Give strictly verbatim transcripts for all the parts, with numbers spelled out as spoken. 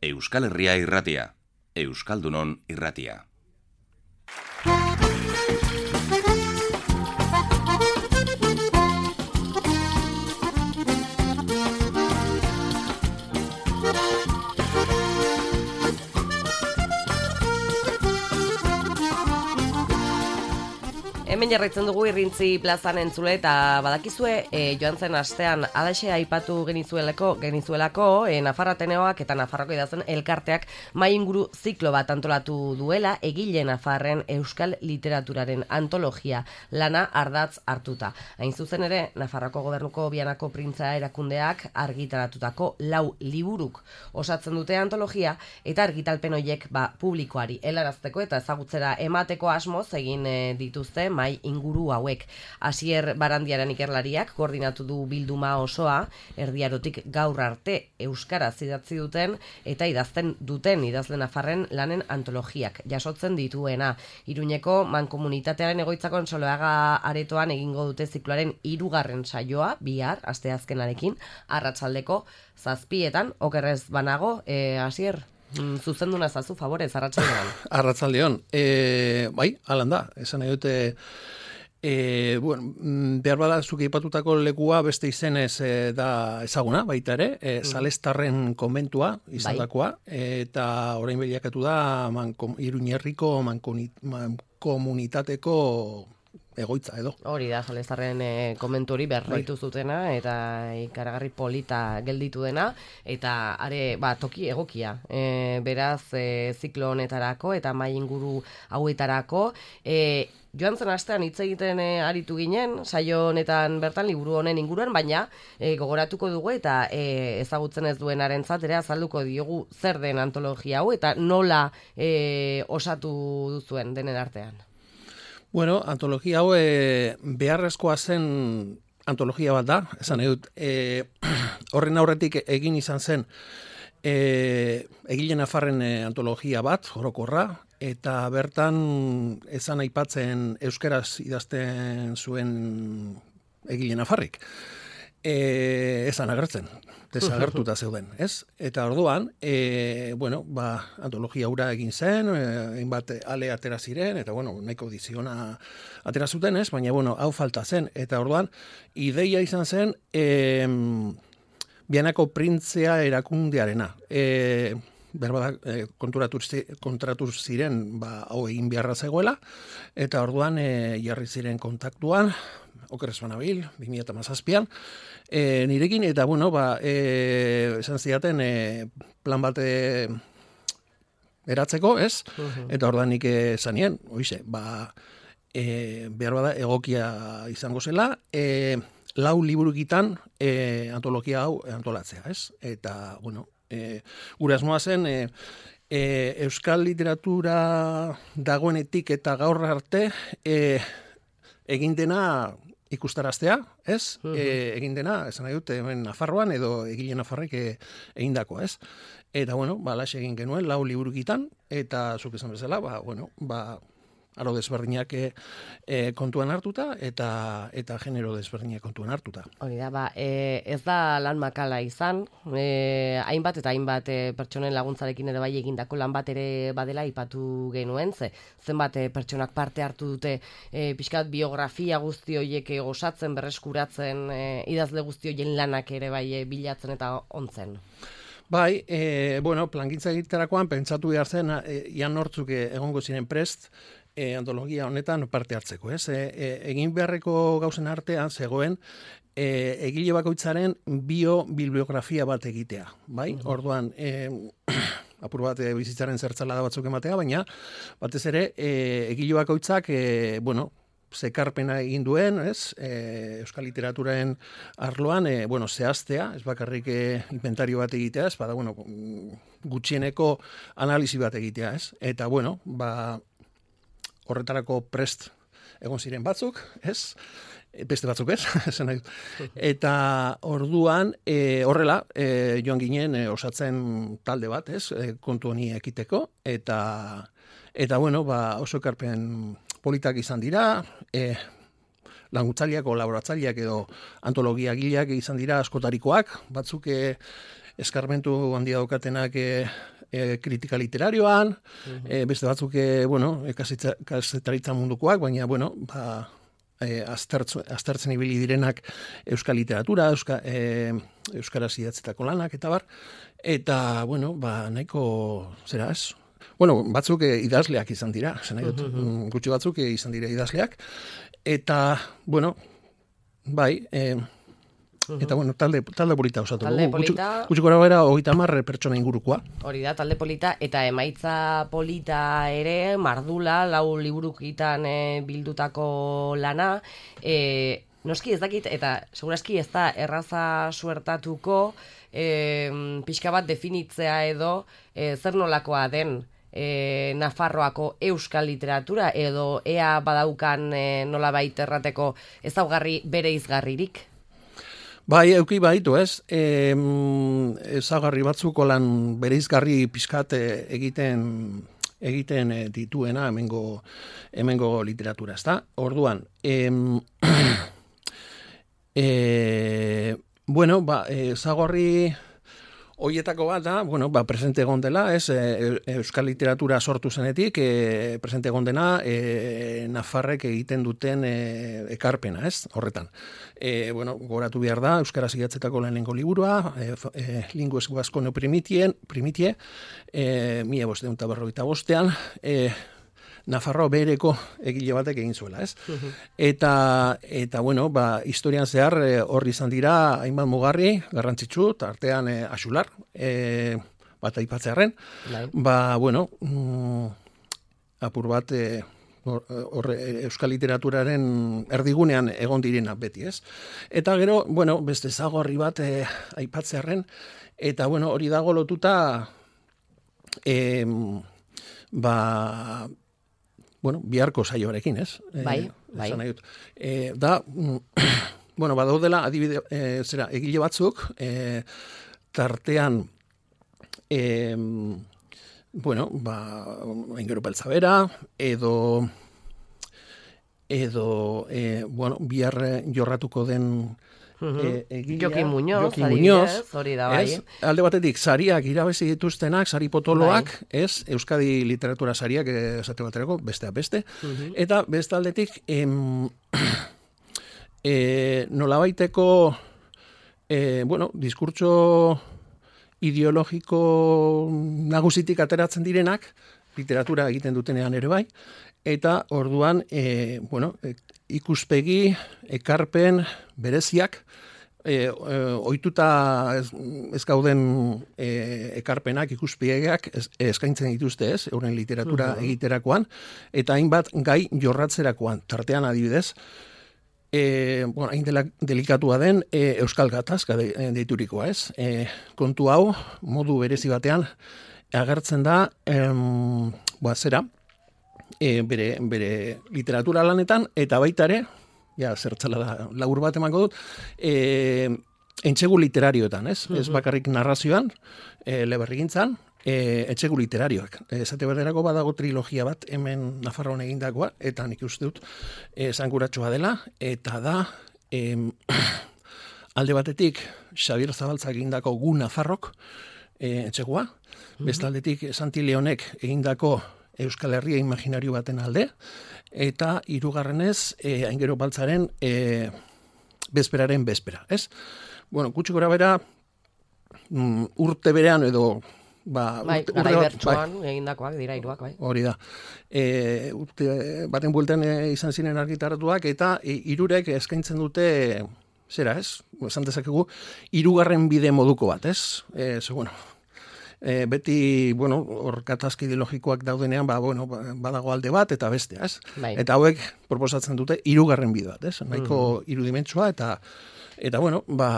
Euskal Herria irratia, Euskaldunon irratia. Hemen jarraitzen dugu Irrintzi plazan entzule eta badakizue e, joan zen astean alaxe aipatu genizuelako, genizuelako e, Nafarra Ateneoak eta Nafarroko idazten elkarteak mai inguru ziklo bat antolatu duela egile Nafarren euskal literaturaren antologia lana ardatz hartuta. Hain zuzen ere, Nafarroko gobernuko Bianako printza erakundeak argitaratutako lau liburuk osatzen dute antologia eta argitalpen horiek ba, publikoari helarazteko eta ezagutzera emateko asmoz egin e, dituzte mai inguru hauek. Asier Barandiaren ikerlariak koordinatu du bilduma osoa, erdiarotik gaur arte euskaraz idatzi duten eta idazten duten idazle nafarren lanen antologiak jasotzen dituena. Iruñeko mankomunitatearen egoitzako Soloaga aretoan egingo dute zikloaren hirugarren saioa, bihar, asteazkenarekin, arratsaldeko zazpietan, okerrez banago, e, Asier? Zuzenduna zazu, favorez, arratsaldean. Arratsaldeon. E, bai, alan da. Esan nahi dute, e, bueno, behar bada zuke ipatutako lekua beste izenez e, da ezaguna, baita ere, e, mm. Salestarren konbentua izandakoa, bai. Eta orain bilakatu da manko, Iruñerriko mankomunitateko egoitza edo. Hori da, Salestarren e, komentu hori berritu zutena eta ikaragarri polita gelditu dena eta are, ba, toki egokia. E, beraz, e, ziklo honetarako eta mai inguru hauetarako e, joan zen astean hitz egiten e, aritu ginen, saio honetan bertan liburu honen inguruan, baina e, gogoratuko dugu eta e, ezagutzen ez duenarentzat ere azalduko diogu zer den antologia hau eta nola e, osatu duzuen denen artean. Bueno, antologia hau e, beharrezkoa zen antologia bat da, esan edut, e, horren aurretik egin izan zen e, egile nafarren e, antologia bat, orokorra, eta bertan esan aipatzen euskaraz idazten zuen egile nafarrik. E, esan agertzen, desagertuta zeuden, ez? Eta orduan, e, bueno, ba, antologia hura egin zen, hainbat e, ale atera ziren, eta bueno, nahiko diziona atera zuten, ez? Baina, bueno, hau falta zen. Eta orduan, ideia izan zen, e, Bianako printzea erakundearena. E, berbada, e, konturatu, kontratu ziren, ba, hau egin beharra zegoela, eta orduan, e, jarri ziren kontaktuan, okerrez banabil, bi mila hamazazpian, e, nirekin, eta bueno, ba, e, esan zidaten, e, plan bat e, eratzeko, ez? Uh-huh. Eta orduan nik zanien, oize, ba, e, behar bada egokia izango zela, e, lau liburukitan e, antologia hau antolatzea, ez? Eta, bueno, e, gure asmoa zen, e, e, euskal literatura dagoenetik eta gaur arte, e, egin dena ikustaraztea, ez? Uh-huh. E, egin dena, esan nahi dut, hemen Nafarroan edo egile Nafarrek e, egindakoa, ez? Eta, bueno, ba, laxe egin genuen, lau liburukitan, eta zuk esan bezala, ba, bueno, ba, aro desberdinak e, e, kontuan hartuta, eta eta genero desberdinak kontuan hartuta. Hori da, ba, e, ez da lan makala izan, e, hainbat eta hainbat e, pertsonen laguntzarekin ere bai egindako lan bat ere badela ipatu genuen, ze zenbat e, pertsonak parte hartu dute e, pixkat biografia guzti horiek osatzen, berreskuratzen, e, idazle guzti horien lanak ere bai e, bilatzen eta ontzen. Bai, e, bueno, plangintza egiterakoan pentsatu behar zen, e, ian nortzuk egongo ziren prest, E, antologia honetan parte hartzeko, ez? E, e, egin beharreko gauzen artean zegoen e, egile bakoitzaren bio-bibliografia bat egitea, bai? Uh-huh. Orduan, e, apur bat e, bizitzaren zertzalada batzuk ematea, baina batez ere e, egile bakoitzak, e, bueno, zekarpena egin duen, ez? E, euskal literaturaren arloan, e, bueno, zehaztea, ez bakarrik e, inventario bat egitea, ez? Bada, bueno, gutxieneko analisi bat egitea, ez? Eta, bueno, ba, horretarako prest egon ziren batzuk, ez? Beste batzuk ez, esan nahi. Eta orduan, e, horrela, e, joan ginen e, osatzen talde bat, ez? E, kontu honi ekiteko, eta, eta bueno, ba, oso ekarpen politak izan dira, e, laguntzaileak, kolaboratzaileak edo antologia gileak izan dira askotarikoak, batzuk e, eskarmentu handia daukatenak e, e, kritika literarioan, uh-huh. e, beste batzuk, e, bueno, kazetaritza mundukoak, baina, bueno, ba, e, aztertzen, aztertzen ibili direnak euskal literatura, euska, e, euskaraz idatzetako lanak, eta bar, eta, bueno, ba, nahiko, zera ez, bueno, batzuk e, idazleak izan dira, zen nahi dut, uh-huh. gutxi batzuk e, izan dira idazleak, eta, bueno, bai, e, eta, bueno, talde, talde polita osatu. Talde polita. Gutxi gora bera, hogeita hamar pertsona ingurukoa. Hori da, talde polita, eta emaitza polita ere, mardula, lau liburukitan e, bildutako lana, e, noski ez dakit, eta segurazki ez da erraza suertatuko, e, pixka bat definitzea edo, e, zer nolakoa den, E, Nafarroako euskal literatura edo ea badaukan e, nolabait errateko ezaugarri bere izgarririk? Bai, euki baditu ez, e, ezaugarri batzuko lan bere izgarri pixkat egiten egiten dituena hemengo hemengo literatura, ezta? Orduan, em, e, bueno, ba, ezaugarri hoietako bat da, bueno, ba, presente egon dela, ez, e, euskal literatura sortu zenetik, e, presente egon dena, e, Nafarrek egiten duten e, ekarpena, ez, horretan. E, bueno, goratu behar da, euskaraz idatzetako lehenengo liburua, e, e, linguez guazko neoprimitie, primitie, e, mila bosteun eta berrogeita bostean, e, Nafarroa bereko egile batek egin zuela, ez? Uh-huh. Eta, eta, bueno, ba, historian zehar horri e, izan dira hainbat mugarri, garrantzitsu, tartean e, Axular, e, bat aipatzearren, Lai. ba, bueno, mm, apur bat e, or, or, euskal literaturaren erdigunean egon direna beti, ez? Eta gero, bueno, beste zagorri bat e, aipatzearren, eta, bueno, hori dago lotuta, e, ba, bueno, biharko saioarekin, ez? Bai, e, bai. E, da, bueno, badaudela adibide, e, zera, egile batzuk, e, tartean, e, bueno, ba, Aingeru Beltzabera, edo, edo, e, bueno, bihar jorratuko den Uh-huh. E, egilea, Jokin Muñoz, Jokin Muñoz, hori da bai. Ez, alde batetik, sariak irabezi dituztenak, sari potoloak, bai. Ez, Euskadi literatura sariak esate baterako, besteak beste, uh-huh. Eta beste aldetik, em, e, nolabaiteko, e, bueno, diskurtso ideologiko nagusitik ateratzen direnak, literatura egiten dutenean ere bai, eta orduan, e, bueno, e, ikuspegi, ekarpen, bereziak, e, e, ohituta ez, ez gauden e, ekarpenak, ikuspegiak ez, eskaintzen dituzte ez, euren literatura uh-huh. egiterakoan, eta hainbat gai jorratzerakoan, tartean adibidez, e, bueno, hain dela, delikatua den e, Euskal Gatazka de, deiturikoa ez, e, kontu hau, modu berezi batean, agertzen da, em, ba, zera, E, bere, bere literatura lanetan, eta baita ere, ja, zertzala da, labur bat emango dut, e, entsegu literarioetan, ez? Uh-huh. Ez bakarrik narrazioan, e, leberrigintzan, e, entsegu literarioak. Esate berderako badago trilogia bat, hemen Nafarroan egindakoa, eta nik uste dut, esanguratxoa dela, eta da, e, alde batetik, Xabier Zabaltzak egindako Gu Nafarrok, e, entsegua, uh-huh. Bestaldetik, Santi Leonek egindako Euskal Herria imaginario baten alde, eta hirugarrenez e, Aingeru Baltzaren e, bezperaren bezpera, ez? Bueno, gutxi gora bera, mm, urte berean edo, ba, bai, urte, garai urte, bertsoan bai, egindakoak dira hiruak, bai. Hori da. E, urte baten buelten e, izan ziren argitaratuak, eta e, hirurek eskaintzen dute, zera, ez? Esan dezakegu, hirugarren bide moduko bat, ez? E, ze, bueno, E, beti, bueno, hor katazki ideologikoak daudenean, ba, bueno, badago alde bat eta beste, ez? Bai. Eta hauek proposatzen dute hirugarren bide bat, ez? Nahiko mm. irudimentsua eta, eta bueno, ba,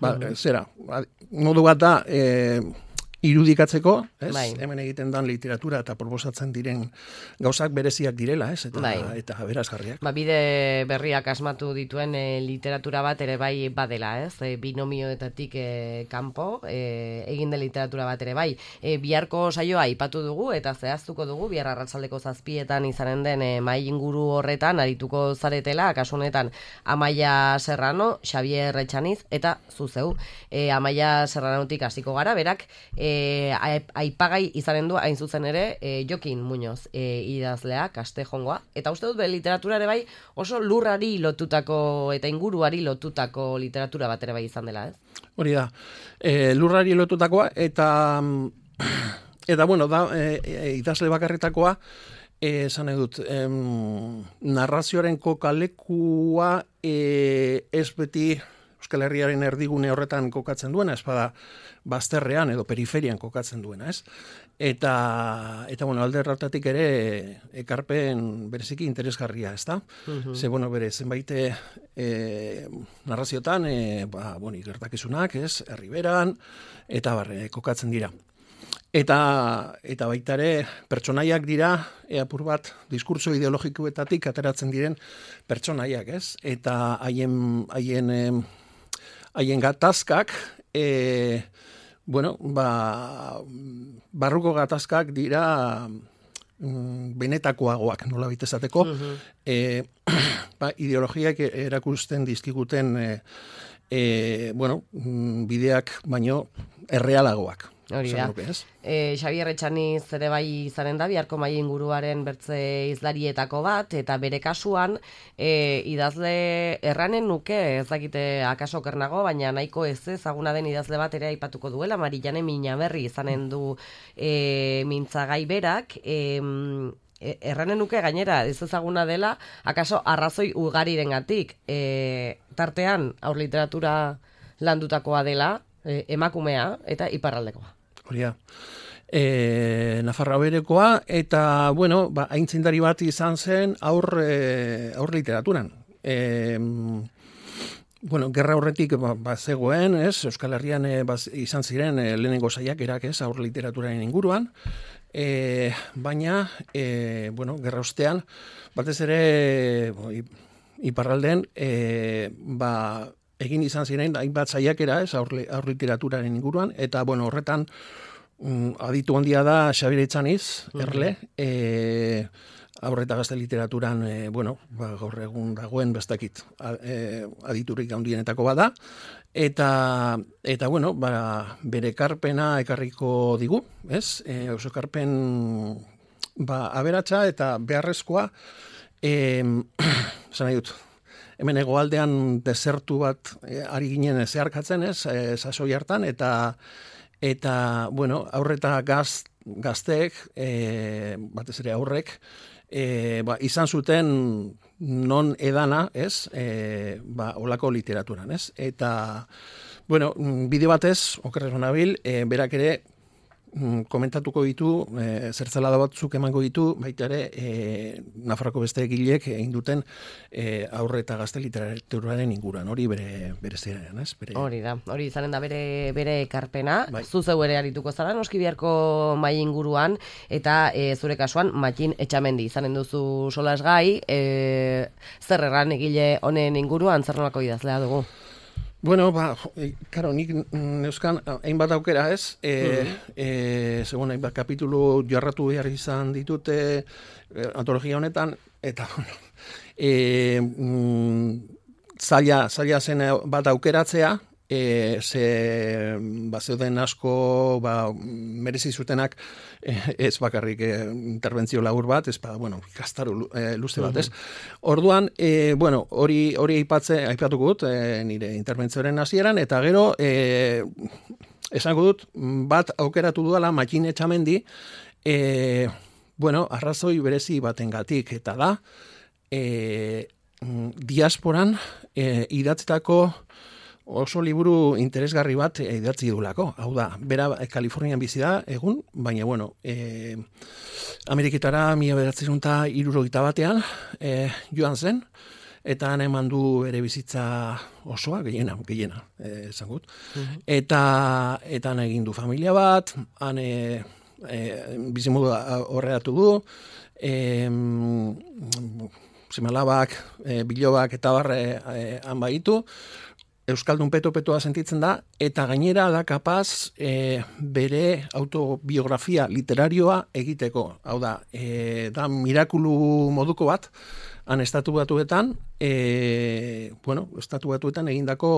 ba mm. zera, modu bat da, e, irudikatzeko, ez? Bai. Hemen egiten dan literatura eta proposatzen diren gauzak bereziak direla, ez? Eta, bai. Eta berazgarriak. Ba, bide berriak asmatu dituen e, literatura bat ere bai badela, ez? E, binomioetatik e, kanpo, e, egin den literatura bat ere bai. E, biharko saioa aipatu dugu eta zehaztuko dugu, bihar arratsaldeko zazpietan izanen den e, mahai inguru horretan arituko zaretela, kasu honetan Amaia Serrano, Xabier Etxaniz eta zuzeu. E, Amaia Serranotik hasiko gara, berak, e, e, aipagai izanen du hain zuzen ere e, Jokin Muñoz e, idazlea, Kastejongoa, eta uste dut be, literatura ere bai oso lurrari lotutako eta inguruari lotutako literatura bat ere bai izan dela, ez? Hori da, e, lurrari lotutakoa, eta eta bueno, da, e, e, idazle bakarretakoa, esan edut, em, narrazioaren kokalekua e, ez beti Euskal Herriaren erdigune horretan kokatzen duena, ez bada bazterrean edo periferian kokatzen duena, ez? Eta, eta bueno, alde erratatik ere ekarpen bereziki interesgarria, ez da? Uh-huh. Ze, bueno, bere, zenbait e, narraziotan, e, ba, bueno, gertakizunak, ez? Herriberan, eta barre, kokatzen dira. Eta, eta baita ere pertsonaiak dira, e, apur bat, diskurso ideologikoetatik ateratzen diren pertsonaiak, ez? Eta haien, haien, haien gatazkak, e, bueno, ba, barruko gatazkak dira mm, benetakoagoak, nola bitezateko, uh-huh. e, ba, ideologiak erakusten dizkiguten e, e, bueno, bideak baino errealagoak. Hori da. E, Xabier Etxaniz ere bai izanen da, biharko mai inguruaren bertze izlarietako bat, eta bere kasuan e, idazle erranen nuke, ez dakite akaso kernago, baina nahiko ez ezaguna den idazle bat ere aipatuko duela, Marijane Minaberri izanen du e, mintzagai berak, e, erranen nuke gainera ez ezaguna dela, akaso arrazoi ugarirengatik, e, tartean aur literatura landutakoa dela, e, emakumea eta iparraldekoa. Hori da. E, Nafarroa berekoa, eta, bueno, ba, aintzindari bat izan zen aur, e, aur literaturan. E, bueno, gerra horretik ba, ba zegoen, ez? Euskal Herrian e, baz, izan ziren e, lehenengo saiakerak, ez? Aur literaturaren inguruan. E, baina, e, bueno, gerra ostean, batez ere, bo, iparraldean, e, ba, egin izan ziren hainbat saiakera, ez, aur, aur literaturaren inguruan, eta bueno, horretan um, aditu handia da Xabier Etxaniz, erle, e, aur eta gazte literaturan, e, bueno, ba, gaur egun dagoen bestakit e, aditurik handienetako bada, eta eta bueno, ba, bere ekarpena ekarriko digu, ez? E, oso ekarpen ba, aberatsa eta beharrezkoa, e, esan nahi dut, hemen hegoaldean desertu bat e, ari ginen zeharkatzen, ez, e, sasoi hartan, eta, eta bueno, aurreta gaz, gazteek, e, batez ere aurrek, e, ba, izan zuten non edana, ez, e, ba, olako literaturan, ez, eta, bueno, bideo batez, okerrez nabil, e, berak ere, komentatuko ditu, e, zertzalada batzuk emango ditu, baita ere, e, Nafarroko beste egilek egin duten e, aurre eta gazte literaturaren inguruan, hori bere, bere ziren, ez? Bere... Hori da, hori izanen da bere, bere ekarpena, bai. Zuzeu ere arituko zara, noski biharko mai inguruan, eta e, zure kasuan, Matxin Etxamendi izanen duzu solasgai, e, zer erran egile honen inguruan, zer nolako idazlea dugu? Bueno, ba, karo, nik neuzkan hainbat aukera, ez? E, mm-hmm. e, segun, hainbat kapitulu jarratu behar izan ditute e, antologia honetan, eta, bueno, e, mm, zaila, zaila zen bat aukeratzea, e, ze, ba, zeuden asko, ba, merezi zutenak, e, ez bakarrik e, interbentzio labur bat, ez, ba, bueno, ikastaro e, luze bat, ez? Orduan, e, bueno, hori hori aipatze, aipatuko dut, e, nire interbentzioaren hasieran, eta gero, e, esango dut, bat aukeratu dudala Matxin Etxamendi, e, bueno, arrazoi berezi batengatik, eta da, e, diasporan e, idatzitako oso liburu interesgarri bat idatzi dulako. Hau da, bera Kalifornian bizi da egun, baina bueno, e, Ameriketara mila bederatziehun eta hirurogeita batean e, joan zen, eta han eman du ere bizitza osoa, gehiena, gehiena, e, esan gut. Uh-huh. Eta, eta han egin du familia bat, han e, e, bizimodu horreatu du, e, zimalabak, e, bilobak eta barre e, han baitu, Euskaldun peto-petoa sentitzen da, eta gainera da kapaz e, bere autobiografia literarioa egiteko. Hau da, e, da mirakulu moduko bat, han estatu batuetan, e, bueno, estatu batuetan egindako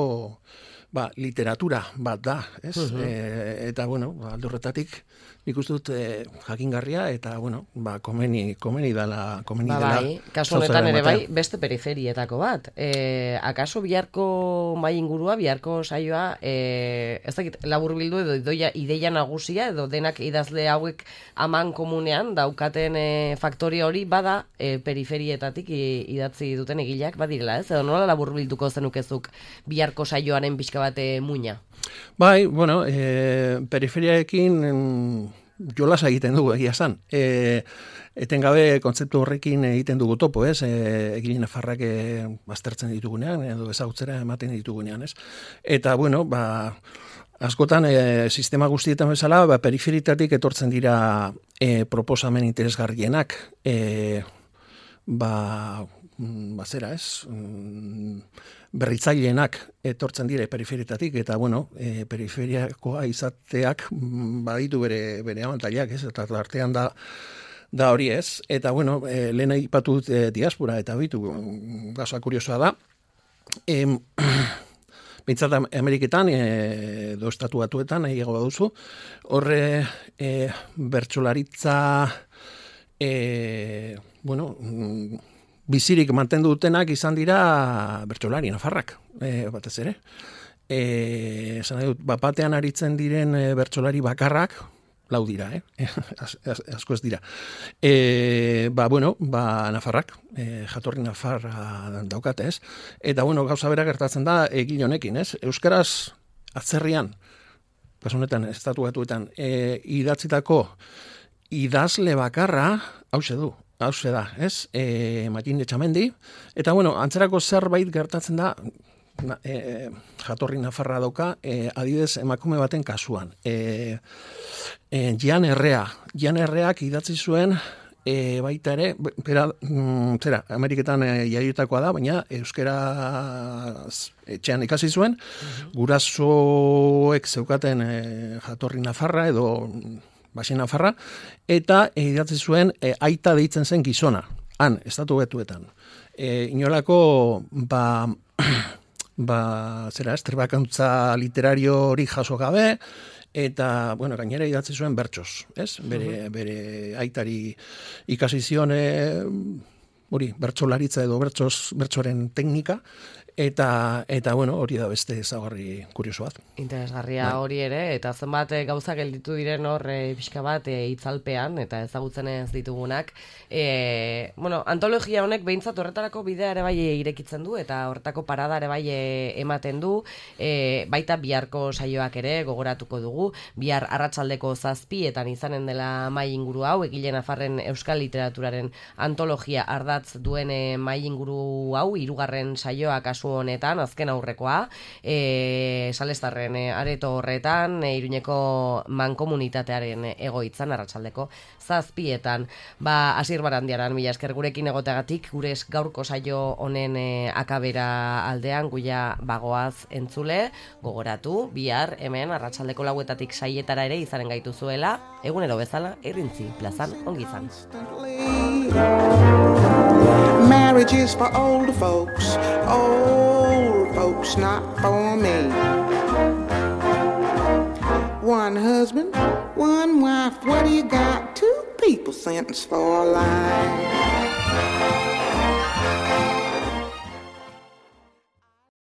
ba, literatura bat da, ez? Mhm. E, eta, bueno, ba, alde horretatik, nik uste dut e, jakingarria, eta, bueno, ba, komeni, komeni dela, komeni Ba, dela. bai, kasu honetan ere ematea. bai, beste periferietako bat. E, akaso biharko mai ingurua, biharko saioa, e, ez dakit, laburbildu edo idoia, ideia nagusia, edo denak idazle hauek aman komunean daukaten e, faktoria hori bada e, periferietatik i- idatzi duten egileak badirela, ez? Edo nola laburbilduko zenukezuk biharko saioaren pixka bate muina? Bai, bueno, e, periferiaekin em, jolasa egiten dugu, egia esan. E, etengabe kontzeptu horrekin egiten dugu topo, ez? E, egile nafarrak e, aztertzen ditugunean, edo ezagutzera ematen ditugunean, ez? Eta, bueno, ba, askotan e, sistema guztietan bezala, ba, periferitatik etortzen dira e, proposamen interesgarrienak, e, ba, mm, ba, zera, ez? Mm, berritzaileenak etortzen dire periferitatik, eta, bueno, e, periferiakoa izateak mm, baditu bere, bere abantailak, ez? Eta artean da, da hori, ez? Eta, bueno, e, lehen aipatu dut e, diaspora, eta bitu, gauza kuriosoa da, em, Bintzat Ameriketan, e, do estatu batuetan, nahiago baduzu, horre e, bertsolaritza, e, bueno, mm, bizirik mantendu dutenak izan dira bertsolari nafarrak, e, batez ere. E, esan nahi dut, bapatean aritzen diren e, bertsolari bakarrak, lau dira, eh? As, as, asko ez dira. E, ba, bueno, ba, nafarrak, e, jatorri nafarra daukate, ez? Eta, bueno, gauza bera gertatzen da egile honekin, ez? Euskaraz atzerrian, kasu honetan, estatu batuetan, e, idatzitako idazle bakarra, hauxe du, hauxe da, ez? E, Matin Etxamendi, eta, bueno, antzerako zerbait gertatzen da, Na, e, jatorri nafarra dauka, e, adibidez emakume baten kasuan. E, e, Jan Errea, Jan Erreak idatzi zuen e, baita ere, bera, mm, zera, Ameriketan e, jaiotakoa da, baina euskera etxean ikasi zuen, gurasoek zeukaten e, jatorri nafarra edo basi nafarra, eta e, idatzi zuen e, aita deitzen zen gizona, han, estatu betuetan. E, inolako, ba... ba, zera, estrebakantza literario hori jaso gabe, eta, bueno, gainera idatzi zuen bertsoz, ez? Bere, bere aitari ikasi zion, hori, bertsolaritza edo bertsoz, bertsoren teknika, eta, eta, bueno, hori da beste ezaugarri kurioso bat. Interesgarria hori ere, eta zenbat e, gauza gelditu diren hor e, pixka bat e, itzalpean, eta ezagutzen ez ditugunak. E, bueno, antologia honek behintzat horretarako bidea ere bai irekitzen du, eta horretako parada ere bai e, ematen du, e, baita biharko saioak ere gogoratuko dugu, bihar arratsaldeko zazpietan izanen dela mai inguru hau, egile nafarren euskal literaturaren antologia ardatz duen e, mai inguru hau, hirugarren saioa kasu honetan, azken aurrekoa, e, Salestarren e, areto horretan, e, Iruñeko mankomunitatearen egoitzan, arratsaldeko zazpietan. Ba, Asier Barandiaran, mila esker gurekin egoteagatik, gure gaurko saio honen e, akabera aldean, guia bagoaz entzule, gogoratu, bihar, hemen, arratsaldeko lauetatik saietara ere izanen gaituzuela, egunero bezala, Irrintzi plazan ongi izan. Marriage is for older folks, old folks, not for me. One husband, one wife, what do you got? Two people sentenced for life.